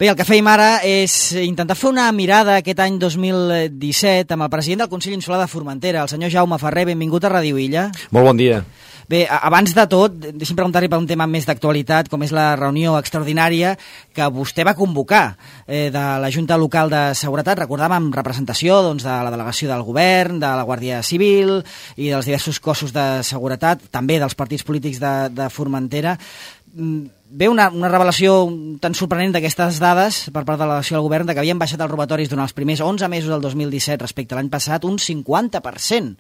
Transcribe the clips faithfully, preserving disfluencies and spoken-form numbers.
Bé, el que fèiem ara és intentar fer una mirada aquest any dos mil disset amb el president del Consell Insular de Formentera, el senyor Jaume Ferrer. Benvingut a Ràdio Illa. Molt bon dia. Bé, abans de tot, deixi'm preguntar-li per un tema més d'actualitat, com és la reunió extraordinària que vostè va convocar eh, de la Junta Local de Seguretat. Recordàvem amb representació doncs, de la delegació del govern, de la Guàrdia Civil i dels diversos cossos de seguretat, també dels partits polítics de, de Formentera. Ve una, una revelació tan sorprenent d'aquestes dades per part de la delegació del govern de que havien baixat els robatoris durant els primers onze mesos del dos mil disset respecte a l'any passat un cinquanta per cent.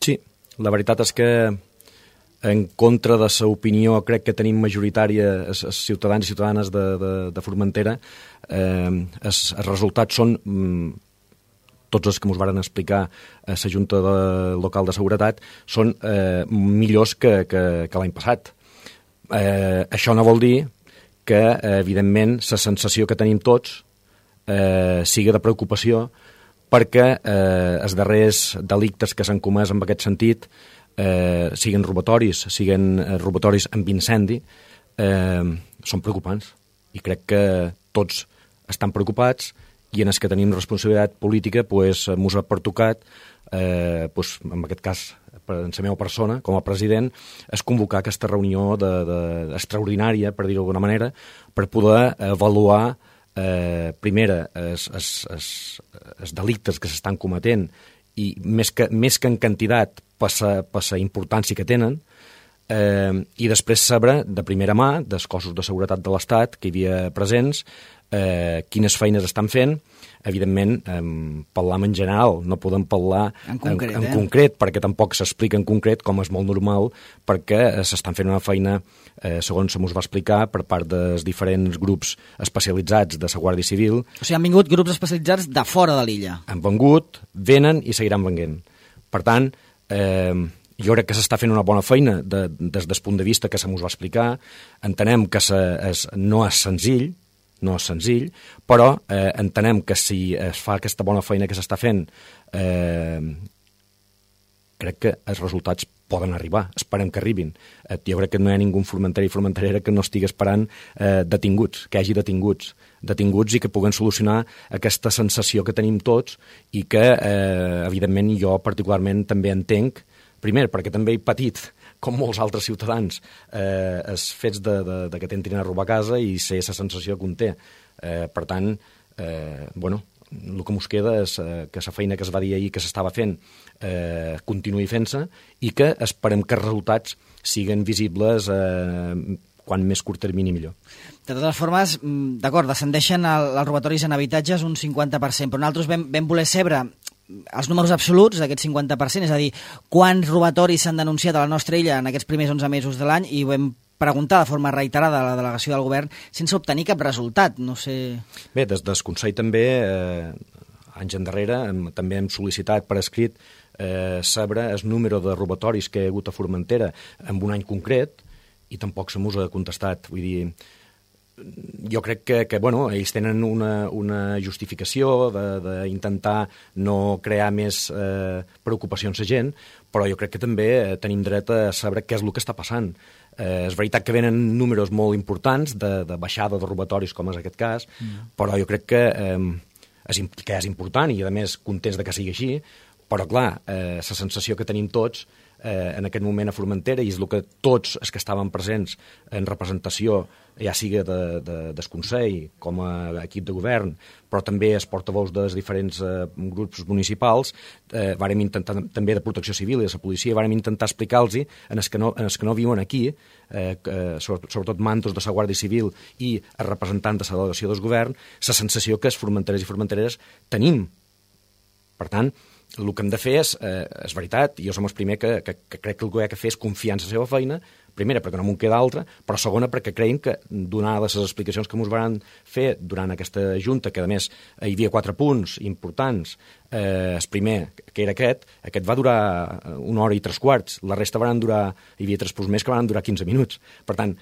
Sí, la veritat és que en contra de la opinió crec que tenim majoritària els, els ciutadans i ciutadanes de, de, de Formentera, eh, els, els resultats són mm, tots els que ens varen explicar a la Junta de, Local de Seguretat són eh, millors que, que, que l'any passat. Eh, això no vol dir que, eh, evidentment, la sensació que tenim tots eh, sigui de preocupació perquè eh, els darrers delictes que s'han comès en aquest sentit eh, siguin robatoris, siguin eh, robatoris amb incendi, eh, són preocupants. I crec que tots estan preocupats i en els que tenim responsabilitat política pues, mos ha pertocat, eh, pues, en aquest cas, en la meva persona, com a president, és convocar aquesta reunió de, de, extraordinària, per dir-ho d'alguna manera, per poder avaluar, eh, primera, els, els, els, els delictes que s'estan cometent i més que, més que en quantitat per la importància que tenen, eh, i després saber de primera mà dels cossos de seguretat de l'Estat que hi havia presents, eh, quines feines estan fent. Evidentment, eh, parlam en general, no podem parlar en concret, en, en eh? concret perquè tampoc s'explica en concret, com és molt normal, perquè eh, s'estan fent una feina, eh, segons se mos va explicar, per part dels diferents grups especialitzats de la Guàrdia Civil. O sigui, han vingut grups especialitzats de fora de l'illa. Han vengut, venen i seguiran venint. Per tant, eh, jo crec que s'està fent una bona feina de, des del punt de vista que se mos va explicar. Entenem que se, es, no és senzill, no és senzill, però eh, entenem que si es fa aquesta bona feina que s'està fent, eh, crec que els resultats poden arribar, esperem que arribin. Eh, jo crec que no hi ha ningú formenteri i formenterera que no estigui esperant eh, detinguts, que hagi detinguts, detinguts i que puguen solucionar aquesta sensació que tenim tots i que, eh, evidentment, jo particularment també entenc, primer, perquè també he patit, com molts altres ciutadans, eh, els fets de, de, de que t'entrin a robar a casa i sé la sensació que un té. Eh, per tant, eh, bueno, el que ens queda és eh, que la feina que es va dir ahir que s'estava fent eh, continuï fent-se i que esperem que els resultats siguin visibles eh, quan més curt termini millor. De totes formes, d'acord, descendeixen el, els robatoris en habitatges un cinquanta per cent, però nosaltres vam, vam voler saber els números absoluts d'aquest cinquanta per cent, és a dir, quants robatoris s'han denunciat a la nostra illa en aquests primers onze mesos de l'any, i ho vam preguntar de forma reiterada a la delegació del govern sense obtenir cap resultat. No sé... Bé, des del Consell també, eh, anys endarrere, hem, també hem sol·licitat per escrit eh, saber el número de robatoris que hi ha hagut a Formentera en un any concret, i tampoc se mos ha contestat. Vull dir, jo crec que, que bueno, ells tenen una, una justificació d'intentar no crear més eh, preocupacions a gent, però jo crec que també tenim dret a saber què és el que està passant. Eh, és veritat que venen números molt importants de, de baixada de robatoris, com és aquest cas, mm. però jo crec que, eh, és, que és important i, a més, contents de que sigui així, però, clar, eh, la sensació que tenim tots eh, en aquest moment a Formentera, i és el que tots els que estaven presents en representació, ja sigui de, de, del Consell com a equip de govern, però també els portaveus dels diferents eh, grups municipals, eh, vàrem intentar, també de Protecció Civil i de la policia, vàrem intentar explicar-los en els que no, en els que no viuen aquí, eh, eh, sobretot mantos de la Guàrdia Civil i els representants de la delegació del govern, la sensació que els formenterers i formentereres tenim. Per tant, el que hem de fer és, eh, és veritat, i jo som el primer que, que, que crec que el que ha de fer és confiar en la seva feina, primera perquè no m'ho queda altra, però segona perquè creiem que, donades les explicacions que ens van fer durant aquesta junta, que a més hi havia quatre punts importants, eh, el primer, que era aquest, aquest va durar una hora i tres quarts, la resta van durar, hi havia tres punts més que van durar quinze minuts. Per tant,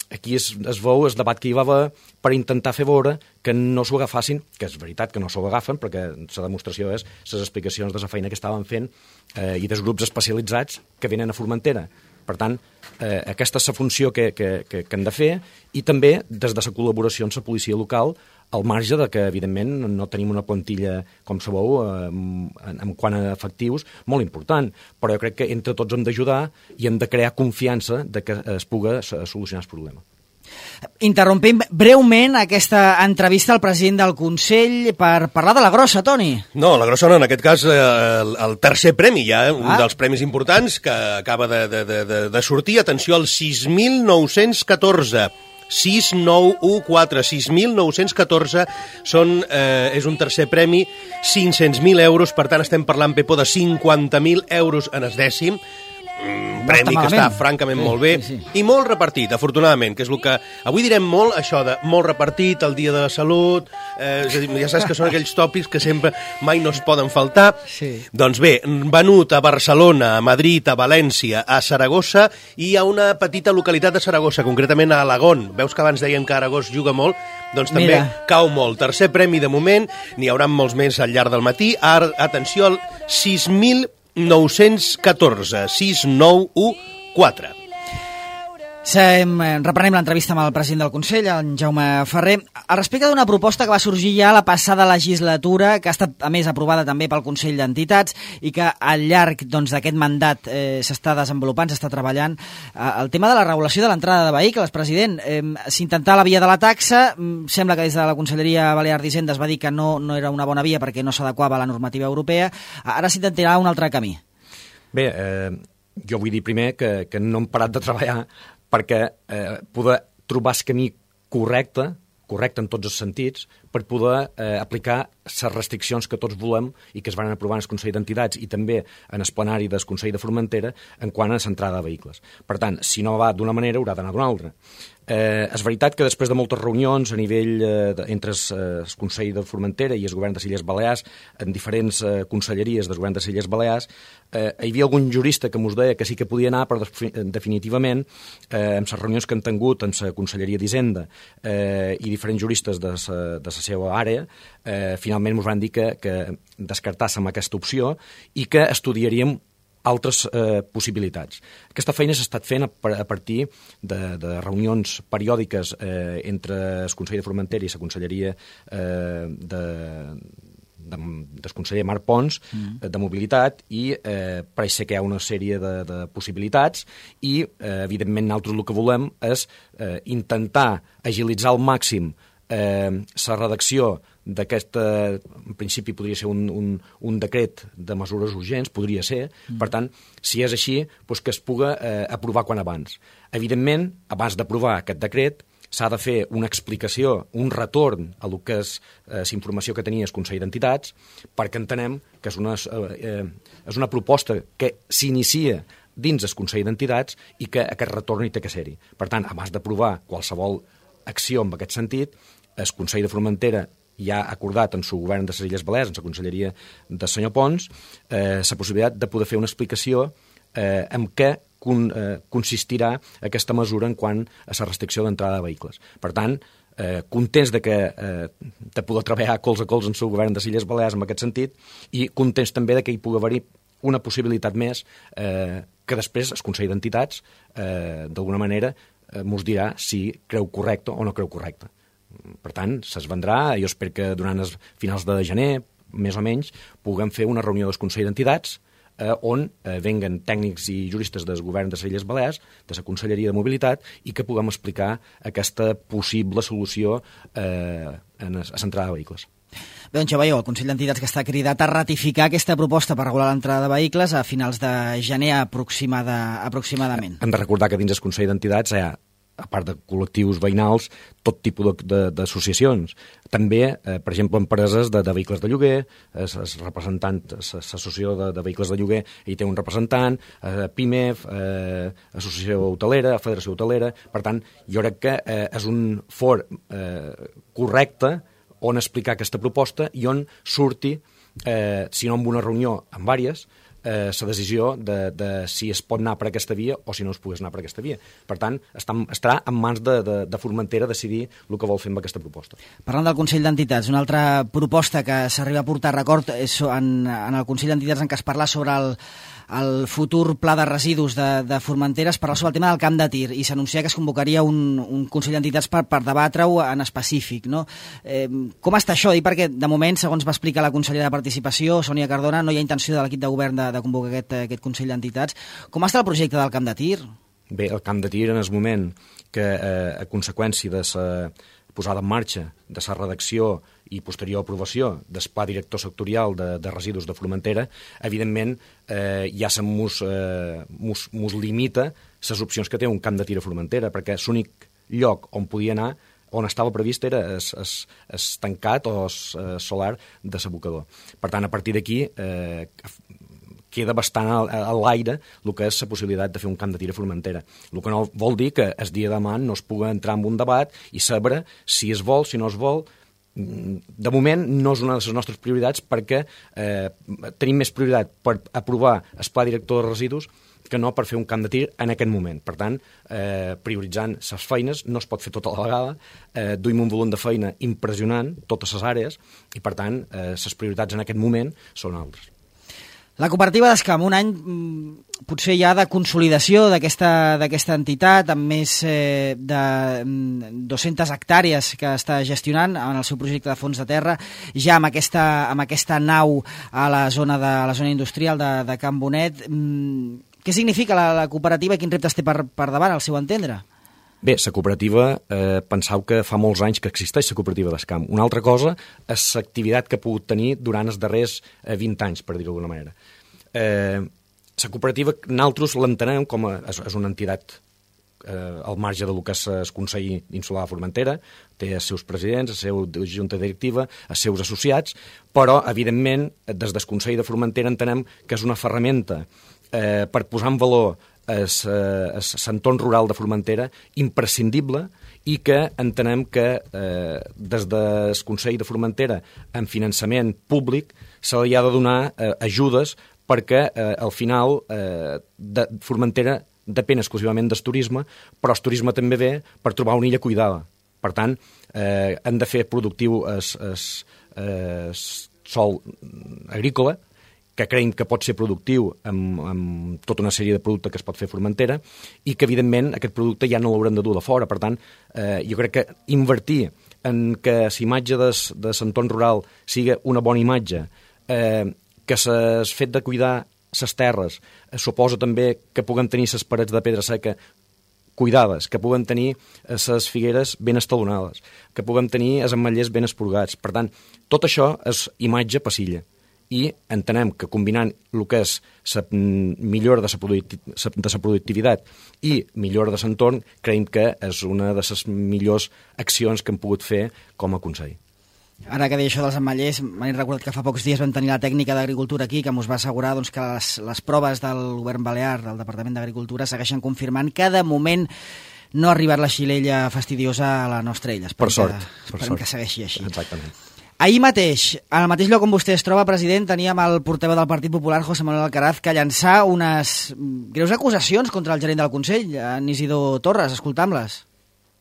aquí es, es veu el debat que hi va haver per intentar fer veure que no s'ho agafassin, que és veritat que no s'ho agafen, perquè la demostració és les explicacions de la feina que estaven fent eh, i dels grups especialitzats que venen a Formentera. Per tant, eh, aquesta és la funció que, que, que, que hem de fer, i també des de la col·laboració amb la policia local, al marge de que, evidentment, no tenim una plantilla, com sabeu, eh, en, en quant a efectius, molt important. Però jo crec que entre tots hem d'ajudar i hem de crear confiança de que es pugui solucionar el problema. Interrompim breument aquesta entrevista al president del Consell per parlar de la grossa, Toni. No, la grossa no, en aquest cas el, el tercer premi ja, eh? un ah. dels premis importants que acaba de, de, de, de sortir. Atenció, el sis mil nou-cents catorze. sis nou u quatre, sis mil nou-cents catorze són, eh, és un tercer premi, cinc-cents mil euros, per tant estem parlant, Pepo, de cinquanta mil euros en el dècim. Un premi que està francament sí, molt bé sí, sí. i molt repartit, afortunadament, que és el que avui direm molt, això de molt repartit, el dia de la salut, eh, és a dir, ja saps que són aquells tòpics que sempre mai no es poden faltar. Sí. Doncs bé, venut a Barcelona, a Madrid, a València, a Saragossa i a una petita localitat de Saragossa, concretament a Alagón. Veus que abans dèiem que Aragó juga molt? Doncs també Mira. cau molt. Tercer premi de moment, n'hi haurà molts més al llarg del matí. Ara, atenció, al sis mil nou-cents catorze, sis nou u quatre. Reprenem l'entrevista amb el president del Consell, en Jaume Ferrer, al respecte d'una proposta que va sorgir ja la passada legislatura, que ha estat, a més, aprovada també pel Consell d'Entitats i que al llarg doncs, d'aquest mandat eh, s'està desenvolupant, s'està treballant. Eh, el tema de la regulació de l'entrada de vehicles, president, eh, s'intentà la via de la taxa, sembla que des de la Conselleria Balear d'Hisenda es va dir que no, no era una bona via perquè no s'adequava a la normativa europea. Ara s'intentarà un altre camí. Bé, eh, jo vull dir primer que, que no hem parat de treballar perquè eh, poder trobar el camí correcte, correcte en tots els sentits, per poder eh, aplicar les restriccions que tots volem i que es van aprovar en el Consell d'Entitats i també en el plenari del Consell de Formentera en quant a l'entrada de vehicles. Per tant, si no va d'una manera, haurà d'anar d'una altra. Eh, és veritat que després de moltes reunions a nivell eh, de, entre el eh, Consell de Formentera i el Govern de les Illes Balears, en diferents eh, conselleries del Govern de les Illes Balears, eh, hi havia algun jurista que mos deia que sí que podia anar, però definitivament, eh, en les reunions que han tingut en la Conselleria d'Hisenda eh, i diferents juristes de la seva àrea, eh, finalment ens van dir que, que descartàssim aquesta opció i que estudiaríem altres eh, possibilitats. Aquesta feina s'ha estat fent a, a partir de, de reunions periòdiques eh, entre el Consell de Formentera i la Conselleria eh, de, de, del conseller Marc Pons mm. de Mobilitat i eh, pareix ser que hi ha una sèrie de, de possibilitats i, eh, evidentment, nosaltres el que volem és eh, intentar agilitzar al màxim eh, la redacció d'aquest, en principi podria ser un, un, un decret de mesures urgents, podria ser, mm. per tant, si és així, doncs que es puga eh, aprovar quan abans. Evidentment, abans d'aprovar aquest decret, s'ha de fer una explicació, un retorn a lo que és eh, la informació que tenia el Consell d'Entitats, perquè entenem que és una, eh, és una proposta que s'inicia dins el Consell d'Entitats i que aquest retorn hi té que ser-hi. Per tant, abans d'aprovar qualsevol acció en aquest sentit, el Consell de Formentera ja ha acordat en el govern de les Illes Balears, en la conselleria del senyor Pons, eh, la possibilitat de poder fer una explicació eh, en què con, eh, consistirà aquesta mesura en quant a la restricció d'entrada de vehicles. Per tant, eh, contents de, que, eh, de poder treballar cols a cols en el govern de les Illes Balears en aquest sentit i contents també de que hi pugui haver-hi una possibilitat més eh, que després el Consell d'Entitats, eh, d'alguna manera, eh, mos dirà si creu correcte o no creu correcte. Per tant, se'ls vendrà, jo espero que durant els finals de gener, més o menys, puguem fer una reunió del Consell d'Entitats eh, on eh, venguen tècnics i juristes del govern de les Illes Balears, de la Conselleria de Mobilitat, i que puguem explicar aquesta possible solució eh, en l'entrada de vehicles. Bé, doncs ja veieu, el Consell d'Entitats que està cridat a ratificar aquesta proposta per regular l'entrada de vehicles a finals de gener aproximada, aproximadament. Hem de recordar que dins el Consell d'Entitats hi ha, a part de col·lectius veïnals, tot tipus d'associacions. També, eh, per exemple, empreses de, de vehicles de lloguer, es, es representant, l'associació de, de vehicles de lloguer, hi té un representant, eh, PIMEF, eh, Associació Hotelera, Federació Hotelera. Per tant, jo crec que eh, és un for eh, correcte on explicar aquesta proposta i on surti, eh, si no en una reunió, en diverses, la eh, decisió de, de si es pot anar per aquesta via o si no es pogués anar per aquesta via. Per tant, està, estarà en mans de, de, de Formentera decidir el que vol fer amb aquesta proposta. Parlant del Consell d'Entitats, una altra proposta que s'arriba a portar a record és en, en el Consell d'Entitats en què es parla sobre el, el futur pla de residus de, de Formentera, es parla sobre el tema del camp de tir i s'anuncia que es convocaria un, un Consell d'Entitats per, per debatre-ho en específic, no? Eh, com està això? I perquè, de moment, segons va explicar la consellera de Participació, Sònia Cardona, no hi ha intenció de l'equip de govern de, de convocar aquest, aquest Consell d'Entitats. Com està el projecte del camp de tir? Bé, el camp de tir en el moment que, eh, a conseqüència de la posada en marxa de la redacció i posterior aprovació del pla director sectorial de, de residus de Formentera, evidentment eh, ja se mos, eh, mos, mos limita les opcions que té un camp de tir a Formentera, perquè l'únic lloc on podia anar, on estava previst, era es, es, es tancat o es, es solar de l'abocador. Per tant, a partir d'aquí eh, queda bastant a, a l'aire el que és la possibilitat de fer un camp de tir a Formentera. El que no vol dir que el dia de demà no es pugui entrar en un debat i saber si es vol, si no es vol. De moment no és una de les nostres prioritats perquè eh, tenim més prioritat per aprovar el pla director de residus que no per fer un camp de tir en aquest moment. Per tant, eh, prioritzant les feines, no es pot fer tota la vegada, eh, duim un volum de feina impressionant, totes les àrees, i per tant, eh, les prioritats en aquest moment són altres. La cooperativa d'Escam, un any potser ja de consolidació d'aquesta d'aquesta entitat, amb més eh, de dues-centes hectàrees que està gestionant en el seu projecte de fons de terra, ja amb aquesta, amb aquesta nau a la zona, de, a la zona industrial de, de Can Bonet. Què significa la, la cooperativa i quins reptes té per, per davant, al seu entendre? Bé, la cooperativa, eh, pensau que fa molts anys que existeix la cooperativa d'Escam. Una altra cosa és l'activitat que ha pogut tenir durant els darrers eh, vint anys, per dir-ho d'alguna manera. Eh, la cooperativa, nosaltres l'entenem com a, és, és una entitat eh, al marge del que és el Consell Insular de Formentera, té els seus presidents, la seva junta directiva, els seus associats, però, evidentment, des del Consell de Formentera entenem que és una ferramenta eh, per posar en valor l'entorn rural de Formentera imprescindible i que entenem que eh, des del Consell de Formentera en finançament públic se li ha de donar eh, ajudes perquè eh, al final eh, de Formentera depèn exclusivament del turisme, però el turisme també ve per trobar una illa cuidada. Per tant, eh, hem de fer productiu el sòl agrícola, que creiem que pot ser productiu amb, amb tota una sèrie de productes que es pot fer a Formentera i que, evidentment, aquest producte ja no l'haurem de dur de fora. Per tant, eh, jo crec que invertir en que l'imatge de, de l'entorn rural sigui una bona imatge, eh, que el fet de cuidar les terres eh, suposa també que puguem tenir les parets de pedra seca cuidades, que puguem tenir les figueres ben estalonades, que puguem tenir els ametllers ben esporgats. Per tant, tot això és imatge passilla. I entenem que combinant el que és la millora de la productivitat i millora de l'entorn, creiem que és una de les millors accions que hem pogut fer com a Consell. Ara que deia això dels ametllers, m'he recordat que fa pocs dies vam tenir la tècnica d'Agricultura aquí, que ens va assegurar doncs, que les, les proves del govern balear, del Departament d'Agricultura, segueixen confirmant que de moment no ha arribat la xilella fastidiosa a la nostra illa. Per sort. Que, esperem que segueixi així. Exactament. Ahir mateix, al mateix lloc on vostè es troba, president, teníem el portaveu del Partit Popular, José Manuel Alcaraz, que llançà unes greus acusacions contra el gerent del Consell, en Isidor Torres. Escoltam-les.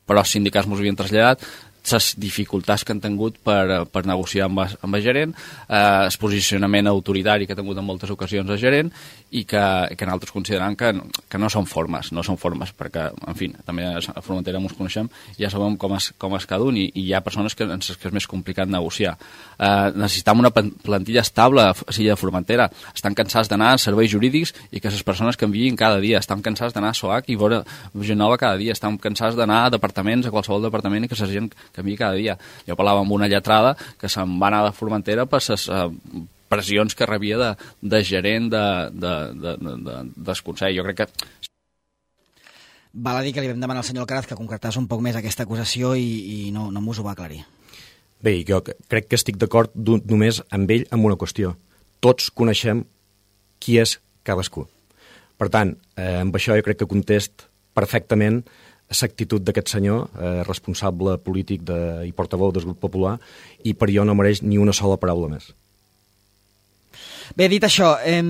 Però els sindicats mos havien traslladat les dificultats que han tingut per, per negociar amb, amb el gerent, eh, el posicionament autoritari que ha tingut en moltes ocasions el gerent i que, que nosaltres considerem que, que no són formes, no són formes, perquè, en fi, també a Formentera ens coneixem, ja sabem com és, com és cada un i, i hi ha persones que, que és més complicat negociar. Eh, necessitem una plantilla estable a Silla de Formentera. Estan cansats d'anar a serveis jurídics i que les persones canviïn cada dia. Estan cansats d'anar a SOAC i veure gent nova cada dia. Estan cansats d'anar a departaments, a qualsevol departament i que la gent canviï cada dia. Jo parlava amb una lletrada que se'n va anar de Formentera per les uh, pressions que rebia de, de gerent de, de, de, de, de, del Consell. Jo crec que... Val a dir que li vam demanar al senyor Alcaraz que concretàs un poc més aquesta acusació i, i no, no m'ho va aclarir. Bé, jo crec que estic d'acord només amb ell amb una qüestió. Tots coneixem qui és cadascú. Per tant, eh, amb això jo crec que contest perfectament l'actitud d'aquest senyor, eh, responsable polític de, i portaveu del grup popular, i per jo no mereix ni una sola paraula més. Bé, dit això, eh,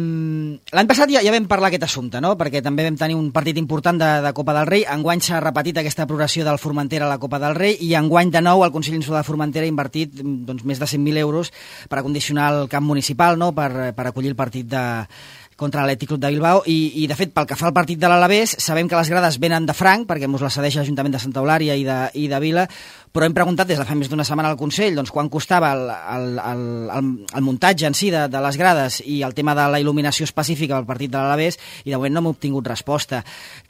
l'any passat ja, ja vam parlar aquest assumpte, no? Perquè també vam tenir un partit important de, de Copa del Rei. Enguany s'ha repetit aquesta progressió del Formentera a la Copa del Rei i enguany de nou el Consell Insular de Formentera ha invertit doncs, més de cent mil euros per acondicionar el camp municipal, no? per, per acollir el partit de contra l'Atlètic Club de Bilbao, i, i de fet, pel que fa al partit de l'Alavés, sabem que les grades venen de franc, perquè mos la cedeix l'Ajuntament de Santa Eulària i de, i de Vila, però hem preguntat des de fa més d'una setmana al Consell doncs, quan costava el, el, el, el, el muntatge en si de, de les grades i el tema de la il·luminació específica del partit de l'Alavés, i de moment no hem obtingut resposta.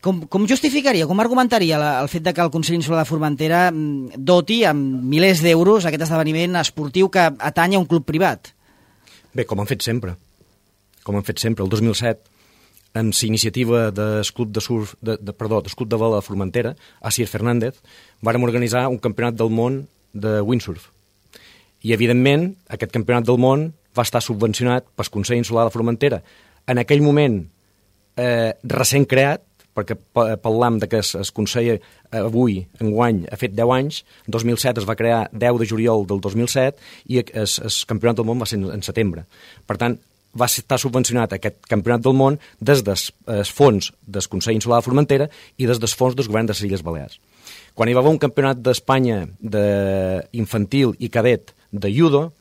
Com, com justificaria, com argumentaria la, el fet de que el Consell Insular de Formentera doti amb milers d'euros aquest esdeveniment esportiu que atanya un club privat? Bé, com han fet sempre. Com han fet sempre. El dos mil set, amb la iniciativa del Club de Surf, de, de, perdó, del Club de Vela de Formentera, Asier Fernández, vàrem organitzar un campionat del món de windsurf. I, evidentment, aquest campionat del món va estar subvencionat pel Consell Insular de Formentera. En aquell moment, eh, recent creat, perquè parlam de que es, es Consell avui, enguany, ha fet deu anys, en dos mil set es va crear deu de juliol del dos mil set i el campionat del món va ser en, en setembre. Per tant, va estar subvencionat aquest campionat del món des dels fons del Consell Insular de Formentera i des dels fons del govern de les Illes Balears. Quan hi va haver un campionat d'Espanya d'infantil i cadet de judo,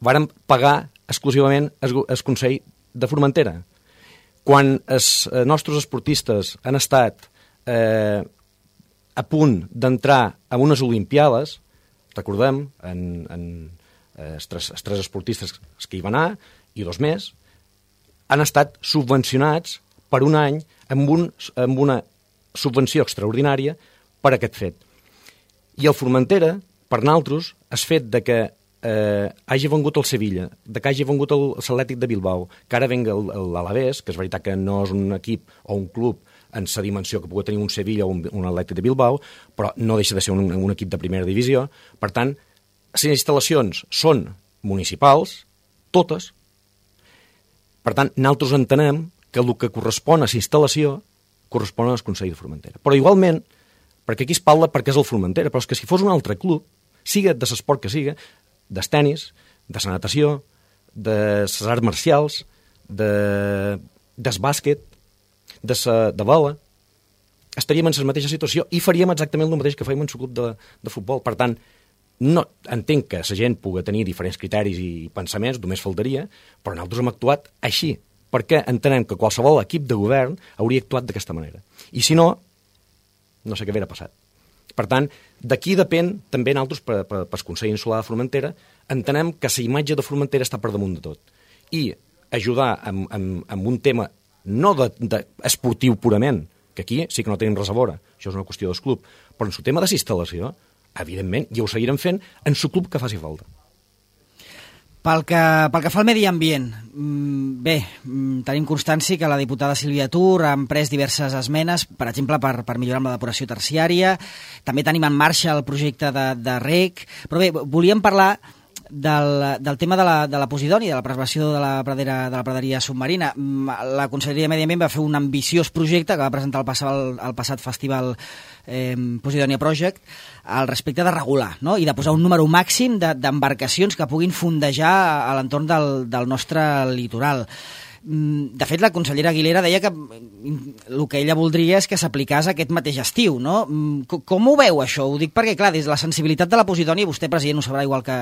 vàrem pagar exclusivament el Consell de Formentera. Quan els nostres esportistes han estat eh, a punt d'entrar a unes Olimpiades, recordem, en, en, els, tres, els tres esportistes que hi van anar, i dos més, han estat subvencionats per un any amb, un, amb una subvenció extraordinària per aquest fet. I el Formentera, per nosaltres, el fet de que eh, hagi vengut el Sevilla, de que hagi vengut l'Atlètic de Bilbao, que ara venga l'Alavés, que és veritat que no és un equip o un club en la dimensió que pugui tenir un Sevilla o un, un Atlètic de Bilbao, però no deixa de ser un, un equip de primera divisió. Per tant, les instal·lacions són municipals, totes. Per tant, nosaltres entenem que el que correspon a la instal·lació correspon al Consell de Formentera. Però igualment, perquè aquí es parla perquè és el Formentera, però és que si fos un altre club, siga de l'esport que siga, del tenis, de la natació, de les arts marcials, de, del bàsquet, de, sa, de bola, estaríem en la mateixa situació i faríem exactament el mateix que fèiem en el club de, de futbol. Per tant, no, entenc que la gent pugui tenir diferents criteris i pensaments, només faltaria, però nosaltres hem actuat així, perquè entenem que qualsevol equip de govern hauria actuat d'aquesta manera. I si no, no sé què hauria passat. Per tant, d'aquí depèn també nosaltres, per, per, per Consell Insular de Formentera, entenem que la imatge de Formentera està per damunt de tot. I ajudar amb, amb, amb un tema no de, de esportiu purament, que aquí sí que no tenim res a veure, això és una qüestió del club, però en el tema de la instal·lació, evidentment, i ho seguirem fent en el club que faci falta. Pel que, pel que fa al medi ambient, bé, tenim constància que la diputada Sílvia Tur ha emprès diverses esmenes, per exemple, per, per millorar amb la depuració terciària, també tenim en marxa el projecte de, de rec, però bé, volíem parlar del, del tema de la, de la Posidònia, de la preservació de la, pradera, de la praderia submarina. La Conselleria de Medi Ambient va fer un ambiciós projecte que va presentar el passat, el, el passat festival eh, Posidònia Project al respecte de regular, no? I de posar un número màxim d'embarcacions de, que puguin fondejar a l'entorn del, del nostre litoral. De fet, la consellera Aguilera deia que el que ella voldria és que s'aplicàs aquest mateix estiu, no? Com ho veu, això? Ho dic perquè, clar, des de la sensibilitat de la Posidònia, vostè, president, ho sabrà igual que,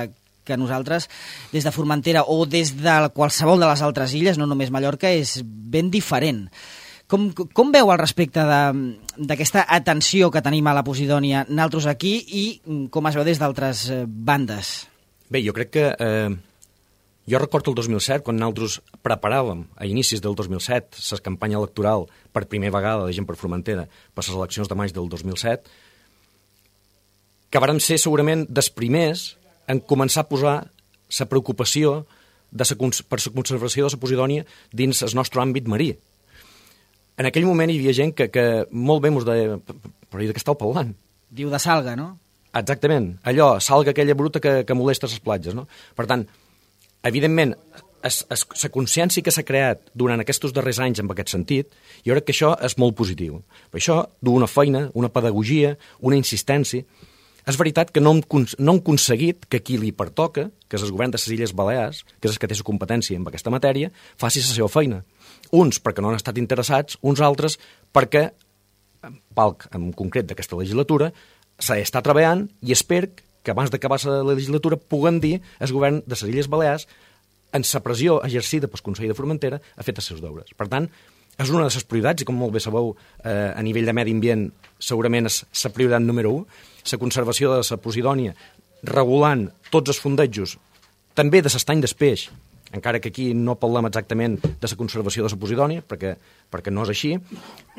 que nosaltres, des de Formentera o des de qualsevol de les altres illes, no només Mallorca, és ben diferent. Com, com veu al respecte d'aquesta atenció que tenim a la Posidònia nosaltres aquí i com es veu des d'altres bandes? Bé, jo crec que... Eh, jo recordo el dos mil set, quan nosaltres preparàvem a inicis del dos mil set la campanya electoral per primera vegada de Gent per Formentera per les eleccions de maig del dos mil set, que vàrem ser segurament dels primers en començar a posar la preocupació de sa, per la conservació de la Posidònia dins el nostre àmbit marí. En aquell moment hi havia gent que, que molt bé mos deia, però i de què estàu parlant? Diu de salga, no? Exactament, allò, salga aquella bruta que, que molesta les platges, no? Per tant, evidentment, la consciència que s'ha creat durant aquests darrers anys en aquest sentit, jo crec que això és molt positiu. Per això, d'una feina, una pedagogia, una insistència. És veritat que no hem, no hem aconseguit que qui li pertoca, que és el govern de les Illes Balears, que és el que té la competència en aquesta matèria, faci la seva feina. Uns perquè no han estat interessats, uns altres perquè, palc en concret d'aquesta legislatura, s'està treballant i espero que abans d'acabar la legislatura puguem dir al govern de les Illes Balears en sa pressió exercida pel Consell de Formentera, ha fet els seus deures. Per tant, és una de les prioritats, i com molt bé sabeu, eh, a nivell de medi ambient, segurament és la prioritat número u, la conservació de la Posidònia, regulant tots els fondejos, també de l'estany d'espeix, encara que aquí no parlem exactament de la conservació de la Posidònia, perquè, perquè no és així,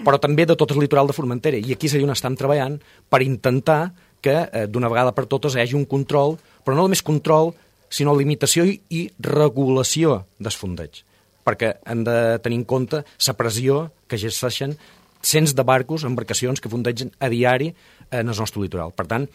però també de tot el litoral de Formentera. I aquí seria on estem treballant per intentar que eh, d'una vegada per totes hi hagi un control, però no només control, sinó limitació i, i regulació dels fondeigs, perquè hem de tenir en compte la pressió que exerceixen cents de barcos, embarcacions que fondegen a diari en el nostre litoral. Per tant,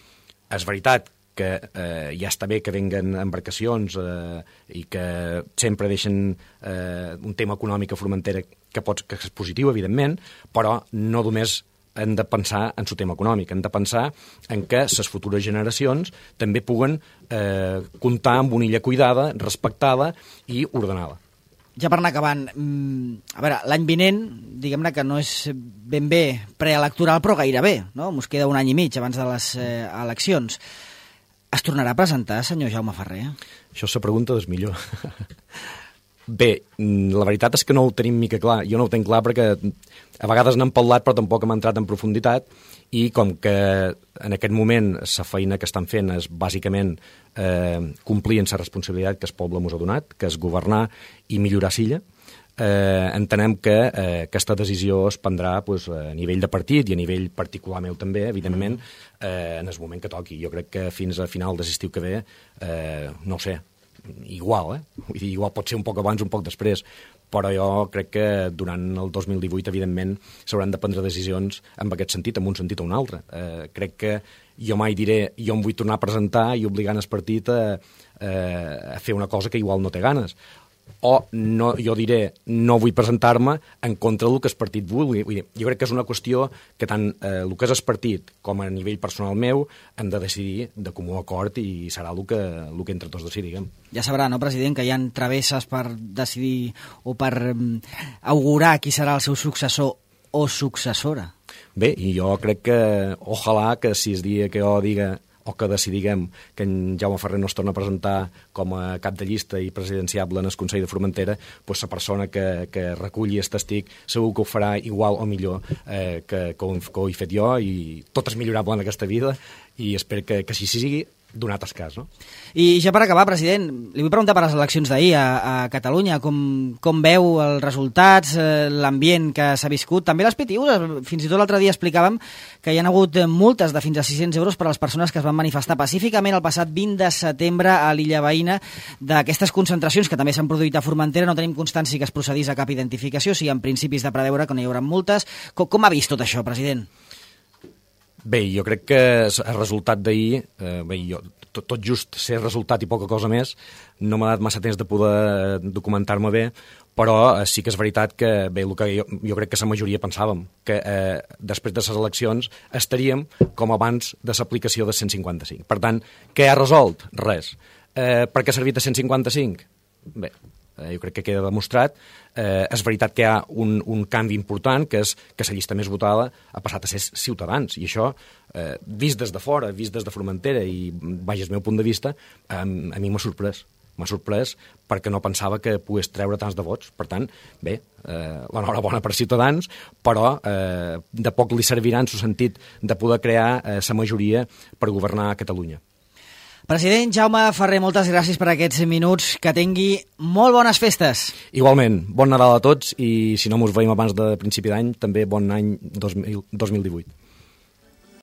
és veritat que eh, ja està bé que venguen embarcacions eh, i que sempre deixen eh, un tema econòmic a Formentera que, pot, que és positiu, evidentment, però no només hem de pensar en el tema econòmic, hem de pensar en que les futures generacions també puguen eh, comptar amb una illa cuidada, respectada i ordenada. Ja per anar acabant, a veure, l'any vinent, diguem-ne que no és ben bé preelectoral, però gairebé, no? Mos queda un any i mig abans de les eh, eleccions. Es tornarà a presentar, senyor Jaume Ferrer? Això és la pregunta del millor. Bé, la veritat és que no ho tenim mica clar. Jo no ho tenc clar perquè a vegades n'hem parlat però tampoc hem entrat en profunditat i com que en aquest moment la feina que estan fent és bàsicament eh, complir amb la responsabilitat que el poble ens ha donat, que és governar i millorar Silla, eh, entenem que eh, aquesta decisió es prendrà pues, a nivell de partit i a nivell particular meu també, evidentment, eh, en el moment que toqui. Jo crec que fins a final de l'estiu que ve, eh, no ho sé, igual, eh? Vull dir, igual pot ser un poc abans, un poc després, però jo crec que durant el dos mil divuit, evidentment, s'hauran de prendre decisions en aquest sentit, en un sentit o un altre. Eh, crec que jo mai diré, jo em vull tornar a presentar i obligant el partit a, a fer una cosa que igual no té ganes. O no, jo diré, no vull presentar-me en contra del que el partit vulgui. Vull dir, jo crec que és una qüestió que tant eh, el que és el partit com a nivell personal meu hem de decidir de comú acord i serà el que, el que entre tots decidim. Ja sabrà, no, president, que hi ha travesses per decidir o per um, augurar qui serà el seu successor o successora. Bé, i jo crec que, ojalà que si es dia que jo diga o que decidiguem que en Jaume Ferrer no es torna a presentar com a cap de llista i presidenciable en el Consell de Formentera, doncs la persona que, que reculli aquest estic segur que ho farà igual o millor eh, que, que, ho, que ho he fet jo, i tot és millorable en aquesta vida i espero que, que així sigui, donat el cas, no? I ja per acabar, president, li vull preguntar per les eleccions d'ahir a, a Catalunya, com, com veu els resultats, eh, l'ambient que s'ha viscut, també les P T Us, fins i tot l'altre dia explicàvem que hi ha hagut multes de fins a sis-cents euros per a les persones que es van manifestar pacíficament el passat vint de setembre a l'illa veïna d'aquestes concentracions que també s'han produït a Formentera. No tenim constància que es procedís a cap identificació, si en principis de preveure que no hi haurà multes. Com, com ha vist tot això, president? Bé, jo crec que el resultat d'ahir, eh, bé, jo, tot, tot just ser resultat i poca cosa més, no m'ha dat massa temps de poder documentar-me bé, però eh, sí que és veritat que, bé, el que jo, jo crec que la majoria pensàvem, que eh, després de les eleccions estaríem com abans de l'aplicació de cent cinquanta-cinc. Per tant, què ha resolt? Res. Eh, per què ha servit de cent cinquanta-cinc? Bé, eh, jo crec que queda demostrat. Eh, és veritat que hi ha un, un canvi important, que és que la llista més votada ha passat a ser Ciutadans, i això, eh, vist des de fora, vist des de Formentera, i vaja, el meu punt de vista, eh, a mi m'ha sorprès. M'ha sorprès perquè no pensava que pogués treure tants de vots. Per tant, bé, eh, l'enhorabona per Ciutadans, però eh, de poc li servirà en el sentit de poder crear la eh, majoria per governar Catalunya. President Jaume Ferrer, moltes gràcies per aquests minuts. Que tingui molt bones festes. Igualment, bon Nadal a tots, i si no mos veiem abans de principi d'any, també bon any dos mil divuit.